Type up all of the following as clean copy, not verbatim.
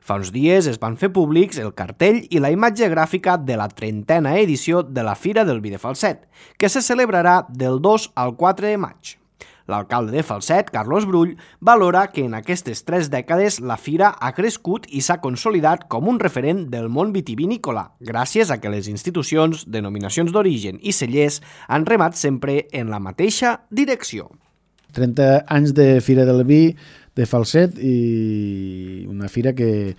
Fa uns dies es van fer públics el cartell i la imatge gràfica de la 30a edició de la Fira del Vi de Falset, que se celebrarà del 2 al 4 de maig. L'alcalde de Falset, Carlos Brull, valora que en aquestes 3 dècades la fira ha crescut i s'ha consolidat com un referent del món vitivinícola, gràcies a que les institucions, denominacions d'origen i cellers han remat sempre en la mateixa direcció. 30 anys de Fira del Vi de Falset i una fira que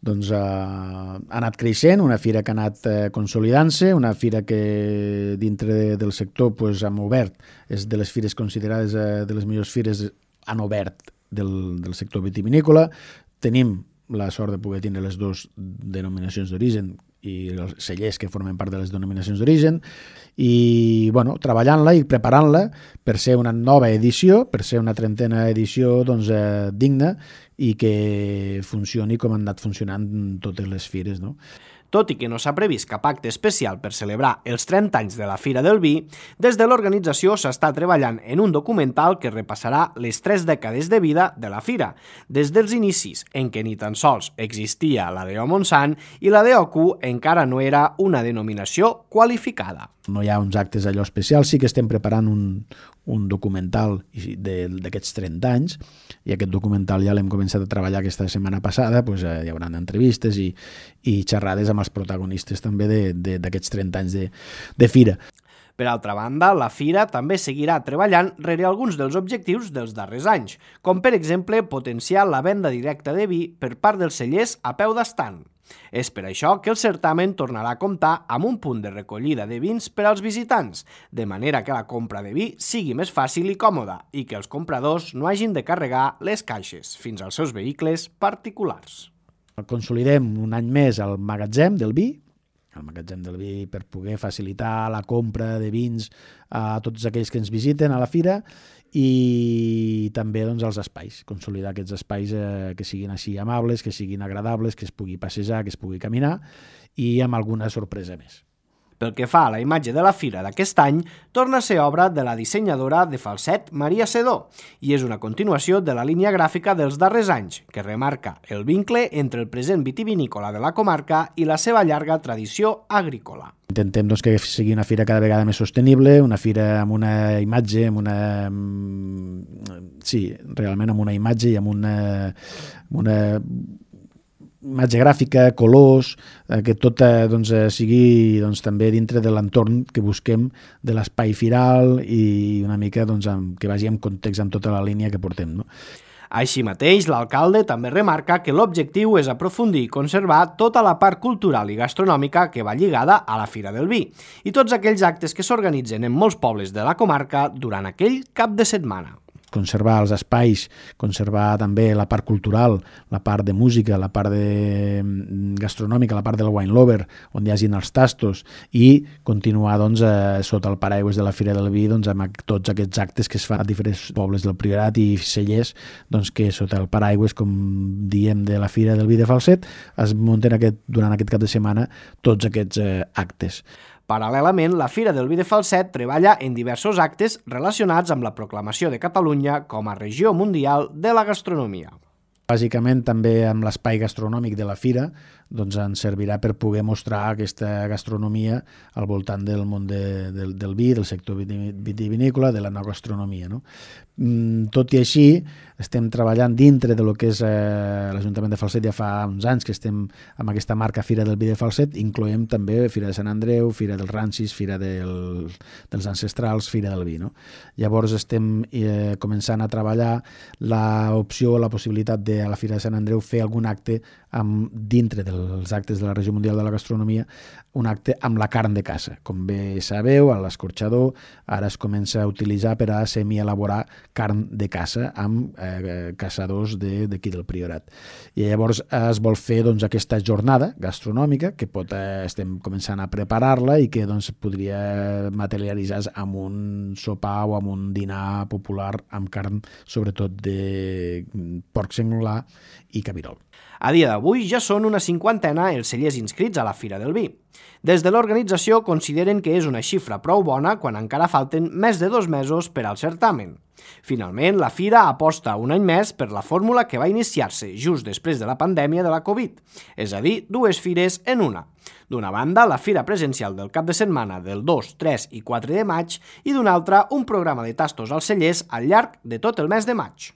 ha anat creixent, una fira que ha anat consolidant-se, una fira que dintre del sector hem obert, és de les fires considerades de les millors fires, han obert del sector vitivinícola. Tenim la sort de poder tenir les dues denominacions d'origen i els cellers que formen part de les denominacions d'origen i treballant-la i preparant-la per ser una nova edició, per ser una 30a edició digna i que funcioni com han anat funcionant totes les fires, no? Tot i que no s'ha previst cap acte especial per celebrar els 30 anys de la Fira del Vi, des de l'organització s'està treballant en un documental que repassarà les 3 dècades de vida de la Fira, des dels inicis, en què ni tan sols existia la DO Montsant i la DOQ encara no era una denominació qualificada. No hi ha uns actes allò especials, sí que estem preparant un documental d'aquests 30 anys i aquest documental ja l'hem començat a treballar aquesta setmana passada, hi haurà entrevistes i xerrades amb els protagonistes també d'aquests 30 anys de fira. Per altra banda, la Fira també seguirà treballant rere alguns dels objectius dels darrers anys, com per exemple potenciar la venda directa de vi per part dels cellers a peu d'estand. És per això que el certamen tornarà a comptar amb un punt de recollida de vins per als visitants, de manera que la compra de vi sigui més fàcil i còmoda i que els compradors no hagin de carregar les caixes fins als seus vehicles particulars. Consolidem un any més el magatzem del vi per poder facilitar la compra de vins a tots aquells que ens visiten a la fira i també els espais, consolidar aquests espais que siguin així amables, que siguin agradables, que es pugui passejar, que es pugui caminar i amb alguna sorpresa més. Pel que fa a la imatge de la fira d'aquest any, torna a ser obra de la dissenyadora de Falset, Maria Sedó, i és una continuació de la línia gràfica dels darrers anys, que remarca el vincle entre el present vitivinícola de la comarca i la seva llarga tradició agrícola. Intentem que sigui una fira cada vegada més sostenible, una fira amb una imatge, realment amb una imatge i amb una imatge gràfica, colors, que tot sigui també dintre de l'entorn que busquem de l'espai firal i una mica que vagi en context amb tota la línia que portem, no? Així mateix, l'alcalde també remarca que l'objectiu és aprofundir i conservar tota la part cultural i gastronòmica que va lligada a la Fira del Vi i tots aquells actes que s'organitzen en molts pobles de la comarca durant aquell cap de setmana. Conservar els espais, conservar també la part cultural, la part de música, la part gastronòmica, la part del wine lover, on hi hagin els tastos i continuar sota el paraigües de la Fira del Vi amb tots aquests actes que es fan a diferents pobles del Priorat i cellers que sota el paraigües, com diem, de la Fira del Vi de Falset es munten durant aquest cap de setmana tots aquests actes. Paral·lelament, la Fira del Vi de Falset treballa en diversos actes relacionats amb la proclamació de Catalunya com a regió mundial de la gastronomia. Bàsicament, també amb l'espai gastronòmic de la fira ens servirà per poder mostrar aquesta gastronomia al voltant del món del vi, del sector vitivinícola, de la no gastronomia, no? Tot i així, estem treballant dintre de lo que és l'Ajuntament de Falset ja fa uns anys que estem amb aquesta marca Fira del Vi de Falset, incloem també Fira de Sant Andreu, Fira dels Rancis, Fira dels Ancestrals, Fira del Vi, no? Llavors estem començant a treballar l'opció, la possibilitat de a la Fira de Sant Andreu fer algun acte dintre dels actes de la Regió Mundial de la Gastronomia, un acte amb la carn de caça. Com bé sabeu, a l'escorxador ara es comença a utilitzar per a semi-elaborar carn de caça amb caçadors d'aquí del Priorat. I llavors es vol fer aquesta jornada gastronòmica que estem començant a preparar-la i que podria materialitzar amb un sopar o amb un dinar popular amb carn, sobretot de porc senglar Solà i Cabirol. A dia d'avui ja són una 50 els cellers inscrits a la Fira del Vi. Des de l'organització consideren que és una xifra prou bona quan encara falten més de 2 mesos per al certamen. Finalment, la Fira aposta un any més per la fórmula que va iniciar-se just després de la pandèmia de la Covid, és a dir, 2 fires en una. D'una banda, la Fira presencial del cap de setmana del 2, 3 i 4 de maig i d'una altra, un programa de tastos als cellers al llarg de tot el mes de maig.